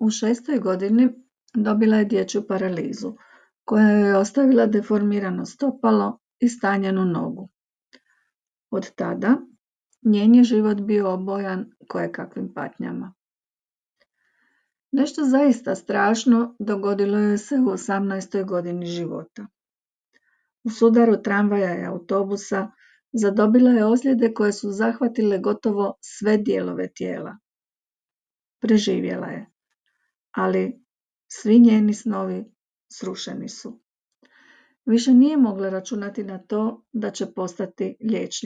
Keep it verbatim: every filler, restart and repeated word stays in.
U šestoj godini dobila je dječju paralizu, koja joj je ostavila deformirano stopalo i stanjenu nogu. Od tada njen je život bio obojan kojekakvim patnjama. Nešto zaista strašno dogodilo joj se u osamnaestoj godini života. U sudaru tramvaja i autobusa zadobila je ozljede koje su zahvatile gotovo sve dijelove tijela. Preživjela je, ali svi njeni snovi srušeni su. Više nije mogla računati na to da će postati liječnica.